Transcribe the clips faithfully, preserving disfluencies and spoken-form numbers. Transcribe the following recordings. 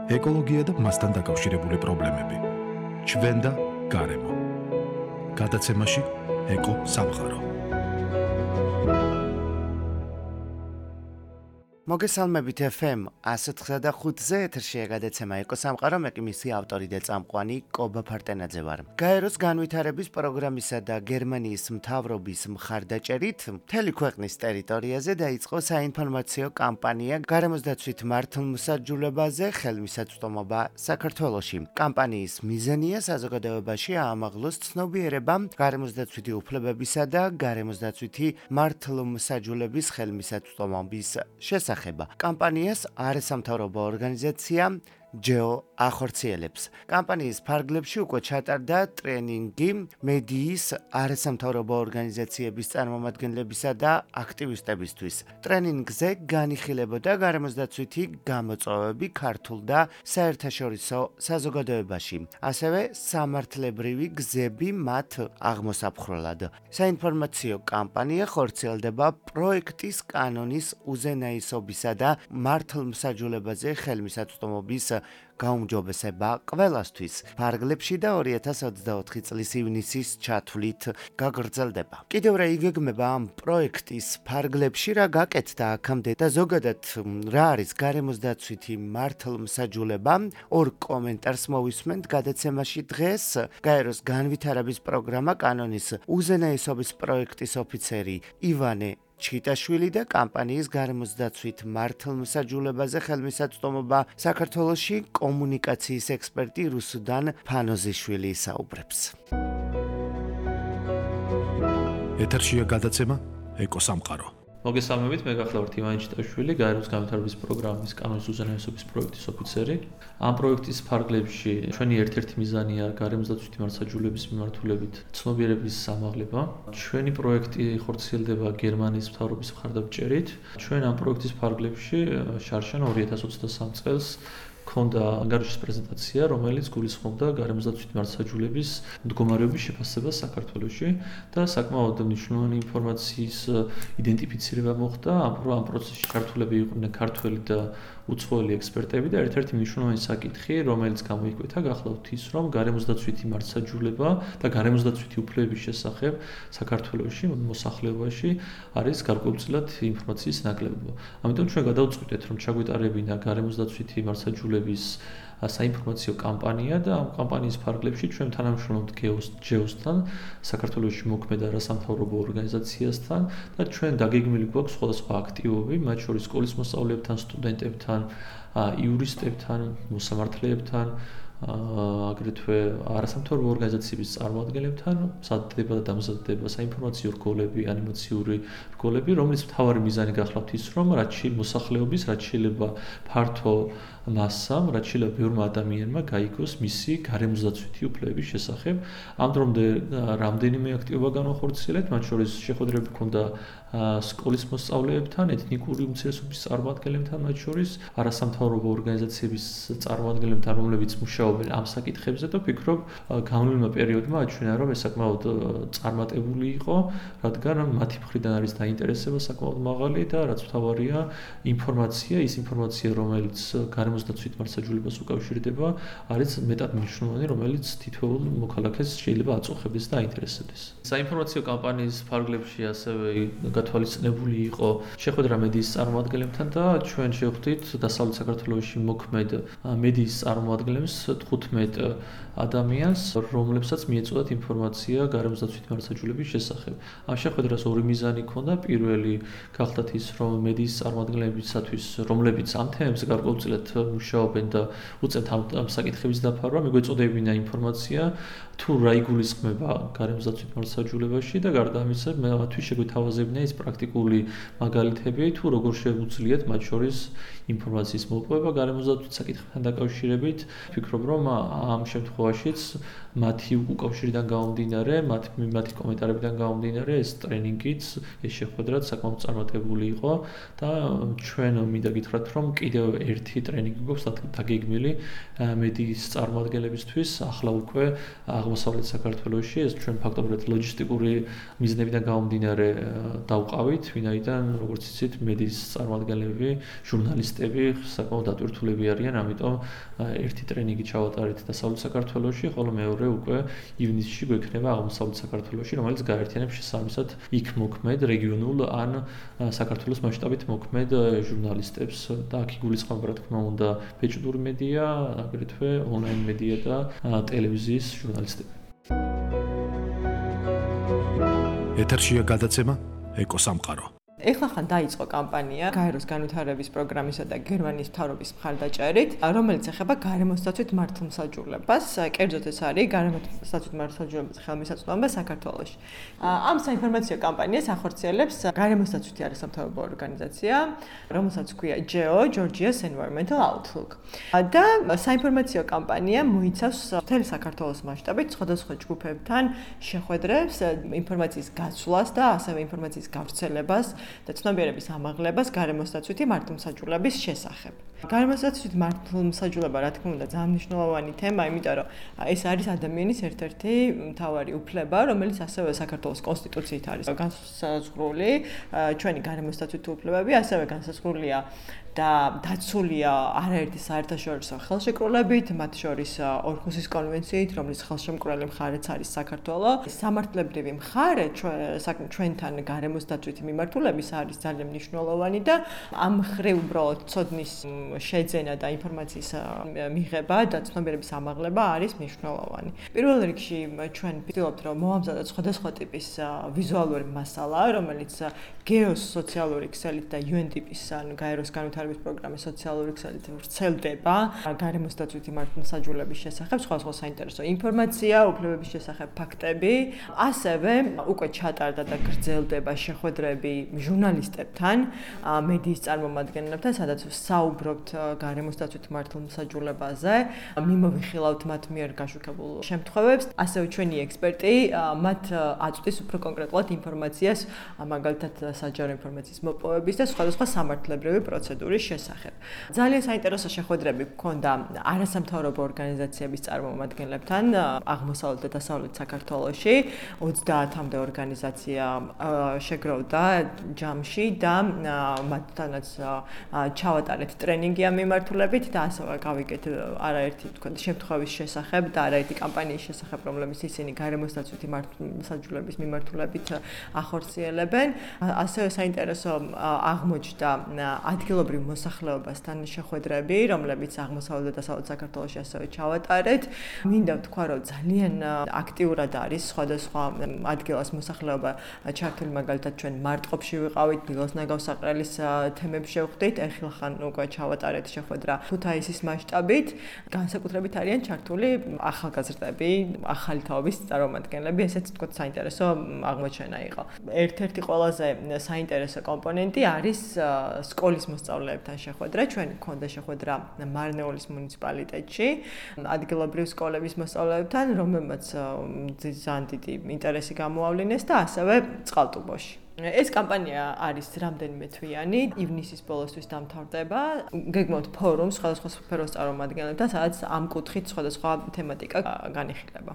ეკოლოგია და მასთან დაკავშირებული პრობლემები. ჩვენ და გარემო. გადაცემაში ეკო სამყარო. მოგესალმებით ეფ ემ ათას ოცდახუთზე ეთერშია გადაცემა ეკო სამყარო, მე კი მისი ავტორი და წამყვანი კობა ფარტენაძე ვარ. გაეროს განვითარების პროგრამისა და გერმანიის მთავრობის მხარდაჭერით მთელი ქვეყნის ტერიტორიაზე დაიწყო საინფორმაციო კამპანია გარემოს დაცვით მართლმსაჯულებაზე ხელმისაწვდომობა საქართველოში. კამპანიის მიზანია საზოგადოებაში აამაღლოს ცნობიერება გარემოს დაცვითი უფლებებისა და გარემოს დაცვითი მართლმსაჯულების ხელმისაწვდომობის შესახებ. კამპანიას არასამთავრობო ორგანიზაცია ჯეო ახორციელებს. კამპანიის ფარგლებში უკვე ჩატარდა ტრენინგი მედიის არასამთავრობო ორგანიზაციების წარმომადგენლებისა და აქტივისტებისთვის. ტრენინგზე განიხილებოდა გარემოს დაცვითი გამოწვევები ქართულ და საერთაშორისო საზოგადოებაში, ასევე სამართლებრივი გზები მათ აღმოსაფხრელად. საინფორმაციო კამპანია ხორციელდება პროექტის კანონის უზენაესობისა და მართლმსაჯულებაზე ხელმისაწვდომობის გაუმჯობესება ყველასთვის. ფარგლებში და ორი ათას ოცდაოთხი წლის ივნისის ჩათვლით გაგრძელდება. კიდევ რა იგეგმება ამ პროექტის ფარგლებში, რა გაკეთდა აქამდე და ზოგადად რა არის გარემოს დაცვითი მართლმსაჯულება? ორ კომენტარს მოვისმენთ გადაცემაში დღეს. გაეროს განვითარების პროგრამა კანონის უზენაესობის პროექტის ოფიცერი ივანე ჩიტაშვილი და კამპანიის გარემოს დაცვით მართლმსაჯულებაზე ხელმისაწვდომობა საქართველოში კომუნიკაციის ექსპერტი რუსუდან ფანოზიშვილი საუბრებს. ეთერშია გადაცემა ეკო სამყარო. მოგესალმებით, მე გახლავართ ივანე ჩიტაშვილი, გაეროს განვითარების პროგრამის კანონის უზენაესობის პროექტის ოფიცერი. ამ პროექტის ფარგლებში ჩვენი ერთ-ერთი მიზანია გარემოს დაცვითი მართლმსაჯულების მიმართულებით ცნობიერების ამაღლება. ჩვენი პროექტი ხორციელდება გერმანიის მთავრობის მხარდაჭერით. ჩვენ ამ პროექტის ფარგლებში შარშან ორი ათას ოცდასამ წელს ქონდა ანგარიშის პრეზენტაცია, რომელიც გულისხმობდა გარემოს დაცვითი მართლმსაჯულების მდგომარეობის შეფასებას საქართველოში და საკმაოდ მნიშვნელოვანი ინფორმაციის იდენტიფიცირება მოხდა. ამ პროცესში ჩართულები იყვნენ ქართველი და უცხოელი ექსპერტები და ერთ-ერთი მნიშვნელოვანი საკითხი, რომელიც გამოიკვეთა, გახლავთ ის, რომ გარემოს დაცვითი მართლმსაჯულება და გარემოს დაცვითი უფლებების შესახებ საქართველოში მოსახლეობაში არის გარკვეულწილად ინფორმაციის ნაკლებობა. ამიტომ ჩვენ გადავწყვიტეთ, რომ ჩაგვეტარებინა გარემოს დაცვითი მართლმსაჯულების საინფორმაციო კამპანია და ამ კამპანიის ფარგლებში ჩვენ თანამშრომლობთ ჯეოსთან, საქართველოში მოქმედ არასამთავრობო ორგანიზაციასთან და ჩვენ დაგეგმილი გვაქვს სხვადასხვა აქტივობები, მათ შორის სკოლის მოსწავლეებთან, სტუდენტებთან, იურისტებთან, მოსამართლეებთან, აგრეთვე არასამთავრობო ორგანიზაციების წარმომადგენლებთან მზადდება და დამზადდება საინფორმაციო რგოლები, ანიმაციური რგოლები, რომლის მთავარი მიზანი გახლავთ ის, რომ რაც შეიძლება მოსახლეობის, რაც შეიძლება ფართო მასამ, რაც შეიძლება ბევრმა ადამიანმა გაიგოს მისი გარემოს დაცვითი უფლებების შესახებ. ამ დრომდე რამდენიმე აქტივობა განახორციელეთ, მათ შორის შეხვედრები ჰქონდა სკოლის მოსწავლეებთან, ეთნიკური უმცირესობის წარმომადგენლებთან, მათ შორის არასამთავრობო ორგანიზაციების წარმომადგენლებთან, რომლებიც მუშაობენ ამ საკითხებზე და ვფიქრობ, განვლილმა პერიოდმა აჩვენა, რომ ეს საკმაოდ წარმატებული იყო, რადგან მათი მხრიდან არის დაინტერესება საკმაოდ მაღალი და რაც მთავარია, ინფორმაცია, ის ინფორმაცია, რომელიც გარემოს დაცვით მართლმსაჯულებას უკავშირდება, არის მეტად მნიშვნელოვანი, რომელიც თითოეულ მოქალაქეს შეიძლება აწუხებდეს და აინტერესებდეს. საინფორმაციო კამპანიის ფარგლებში ასევე გათვალისწინებული იყო შეხვედრა მედიის წარმომადგენლებთან და ჩვენ შევხვდით დასავლეთ საქართველოში მოქმედ მედიის წარმომადგენლებს თხუთმეტ ადამიანს, რომლებსაც მიეწოდათ ინფორმაცია გარემოს დაცვითი მართლმსაჯულების შესახებ. ამ შეხვედრას ორი მიზანი ჰქონდა. პირველი გახლავთ ის, რომ მედიის წარმომადგენლებისათვის, რომლებიც ამ თემებზე გარკვეულწილად მუშაობენ და უწევთ ამ საკითხების დაფარვა, მიგვეწოდებინა ინფორმაცია თუ რა იგულისხმება გარემოს დაცვით მართლმსაჯულებაში და გარდა ამისა, მათთვის შეგვეთავაზებინა ის პრაქტიკული მაგალითები, თუ როგორ შეუძლიათ მათ შორის ინფორმაციის მოპოვება გარემოს დაცვით საკითხებთან დაკავშირებით. ვფიქრობ, რომ ამ შემთხვევაშიც მათი უკავშირიდან გამომდინარე, მათი კომენტარებიდან გამომდინარე, ეს ტრენინგიც, ეს შეხვედრაც საკმაოდ წარმატებული იყო და ჩვენ მინდა გითხრათ, რომ კიდევ ერთი ტრენინგი გვაქვს დაგეგმილი მედიის წარმომადგენლებისთვის, ახლა უკვე აღმოსავლეთ საქართველოში, ეს ჩვენ ფაქტობრივად ლოჯისტიკური მიზნებიდან გამომდინარე დავყავით, ვინაიდან როგორც იცით, მედიის წარმომადგენლები, ჟურნალისტები საკმაოდ დატვირთულები არიან, ამიტომ ერთი ტრენინგი ჩავატარეთ დასავლეთ საქართველოში, ხოლო მეორე უკვე ივნისში გვექნება აღმოსავლეთ საქართველოში, რომელიც გაერთიანებს შესაბამისად იქ მოქმედ რეგიონულ ან საქართველოს მასშტაბით მოქმედ ჟურნალისტებს და აქ იგულისხმება, რა თქმა უნდა, ბეჭდური მედია, აგრეთვე ონლაინ მედია და ტელევიზიის ჟურნალისტები. ეთერშია გადაცემა ეკოსამყარო. ეხლა ხან დაიწყო კამპანია გაეროს განვითარების პროგრამისა და გერმანიის მთავრობის მხარდაჭერით, რომელიც ეხება გარემოსდაცვით მართლმსაჯულებას. კერძოდ ეს არის გარემოსდაცვით მართლმსაჯულების ხელმისაწვდომობა საქართველოში. ამ საინფორმაციო კამპანიას ახორციელებს გარემოსდაცვითი არასამთავრობო ორგანიზაცია, რომელსაც ჰქვია ჯეო Georgia's Environmental Outlook. და საინფორმაციო კამპანია მოიცავს მთელი საქართველოს მასშტაბით სხვადასხვა ჯგუფებთან შეხვედრებს, ინფორმაციის გაცვლას და ასევე ინფორმაციის გავრცელებას და ცნობიერების ამაღლებას გარემოსდაცვითი მართლმსაჯულების შესახებ. გარემოსდაცვითი მართლმსაჯულება, რა თქმა უნდა, ძალიან მნიშვნელოვანი თემა, იმიტომ რომ ეს არის ადამიანის ერთ-ერთი მთავარი უფლება, რომელიც ასევე საქართველოს კონსტიტუციით არის განსაზღვრული. ჩვენი გარემოსდაცვითი უფლებები ასევე განსაზღვრულია და დაცულია არაერთი საერთაშორისო ხელშეკრულებით, მათ შორის ორჰუსის კონვენციით, რომლის ხელშემკვრელი მხარეც არის საქართველო. სამართლებრივი მხარე ჩვენთან გარემოსდაცვითი მიმართულების არის ძალიან მნიშვნელოვანი და ამ მხრივ უბრალოდ ცოდნის შეძენა და ინფორმაციის მიღება და ცნობიერების ამაღლება არის მნიშვნელოვანი. პირველ რიგში ჩვენ ვცდილობთ, რომ მოვამზადოთ სხვადასხვა ტიპის ვიზუალური მასალა, რომელიც გეოს სოციალური ქსელით და იუ ენ დი პი-ის ან გაეროს განვითარების პროგრამის სოციალური ქსელით ვრცელდება გარემოსდაცვითი მართლმსაჯულების შესახებ, სხვადასხვა საინტერესო ინფორმაცია, უფლებების შესახებ ფაქტები, ასევე უკვე ჩატარდა და გრძელდება შეხვედრები ჟურნალისტებთან, მედიის წარმომადგენლებთან, სადაც საუბრობთ გარემოსდაცვითი მართლმსაჯულებაზე, მიმოვიხილავთ მათ მიერ გაშუქებულ შემთხვევებს, ასევე ჩვენი ექსპერტი მათ აწვდის უფრო კონკრეტულად ინფორმაციას, მაგალითად საჯარო ინფორმაციის მოპოვების და სხვადასხვა სამართლებრივი პროცედურის შესახებ. ძალიან საინტერესო შეხვედრები გქონდა არასამთავრობო ორგანიზაციების წარმომადგენლებთან აღმოსავლეთ და დასავლეთ საქართველოში, ოცდაათამდე ორგანიზაცია შეგროვდა ჯამში და მათთანაც ჩავატარეთ ტრენინგი ამ მიმართულებით და ასევე გავიგეთ არაერთი თქვა შემთხვევის შესახებ და არაერთი კამპანიის შესახებ, რომლებიც ისინი გარემოსდაცვითი მართლმსაჯულების მიმართულებით ახორციელებენ. ასევე საინტერესო აღმოჩნდა ადგილობრივ მოსახლეობასთან შეხვედრები, რომლებიც აღმოსავლეთ და დასავლეთ საქართველოში ასევე ჩავატარეთ. მინდა ვთქვა, რომ ძალიან აქტიურად არის სხვადასხვა ადგილას მოსახლეობა ჩართული, მაგალითად ჩვენ მარტყოფში ვიყავით, დილოს ნაგავსაყრელის თემებს შევხვდით, ეხილხან უკვე ჩავატარეთ შეხვედრა ქუთაისის მასშტაბით. განსაკუთრებით არიან ჩართული ახალგაზრდები, ახალი თაობის წარმომადგენლები, ესეც თქო საინტერესო აღმოჩენა იყო. ერთ-ერთი ყველაზე საინტერესო კომპონენტი არის სკოლის მოსწავლეებთან შეხვედრა. ჩვენ გქონდა შეხვედრა მარნეულის მუნიციპალიტეტში, ადგილობრივ სკოლების მოსწავლეებთან, რომელმაც ძალიან დიდი ინტერესი გამოავლინეს და ასევე წყალტუბოში. ეს კამპანია არის რამდენიმე თვიანი, ივნისის ბოლოსთვის დამთავრდება. გეგმავთ ფორუმს სხვადასხვა სფეროს წარმომადგენლებთან, სადაც ამ კუთხით სხვადასხვა თემატიკა განიხილება.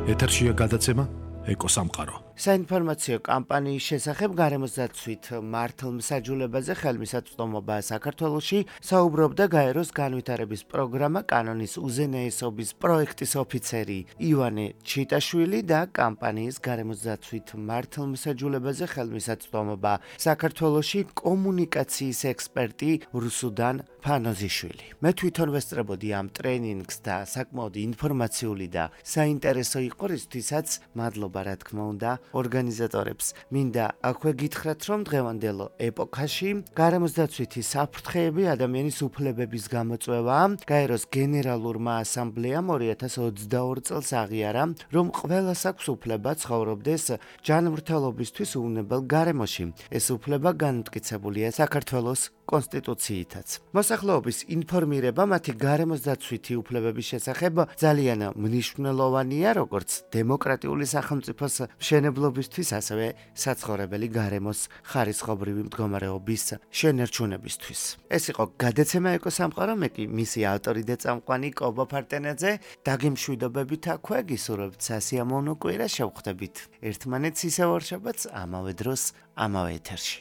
ეთერშია გადაცემა ეკოსამყარო. საინფორმაციო კამპანიის შესახებ გარემოსდაცვით მართლმსაჯულებაზე ხელმისაწვდომობა საქართველოში საუბრობდა გაეროს განვითარების პროგრამა კანონის უზენაესობის პროექტის ოფიცერი ივანე ჩიტაშვილი და კამპანიის გარემოსდაცვით მართლმსაჯულებაზე ხელმისაწვდომობა საქართველოში კომუნიკაციის ექსპერტი რუსუდან ფანოზიშვილი. მე თვითონ ვესწრებოდი ამ ტრენინგს და საკმაოდ ინფორმაციული და საინტერესო იყო, რისთვისაც მადლობა რა თქმა უნდა ორგანიზატორებს. მინდა აქვე გითხრათ, რომ დღევანდელ ეპოქაში გარემოსდაცვითი საფრთხეები ადამიანის უფლებების გამოწვევა გაეროს გენერალურმა ასამბლეამ ორი ათას ოცდაორი წელს აღიარა, რომ ყველას აქვს უფლება ცხოვრობდეს ჯანმრთელობისთვის უვნებელ გარემოში. ეს უფლება განმტკიცებულია საქართველოს კონსტიტუციითაც. მოსახლეობის ინფორმირება მათი გარემოსდაცვითი უფლებების შესახებ ძალიან მნიშვნელოვანია, როგორც დემოკრატიული სახელმწიფოს მშენებლობისთვის, ასევე საცხოვრებელი გარემოს ხარისხობრივი მდგომარეობის შენერჩუნებისთვის. ეს იყო გადაცემა ეკოსამყარო, მე კი მისი ავტორი და წამყვანი კობა ფარტენაძე. დაგემშვიდობებით აქვე, გისურვებთ სასიამოვნო კვირა, შევხვდებით ერთმანეთს ისევ ორ შაბათს, ამავე დროს, ამავე ეთერში.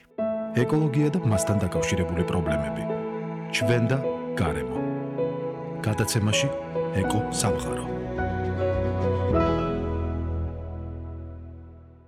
ეკოლოგია და მასთან დაკავშირებული პრობლემები. ჩვენ და გარემო. გადაცემაში ეკო სამყარო.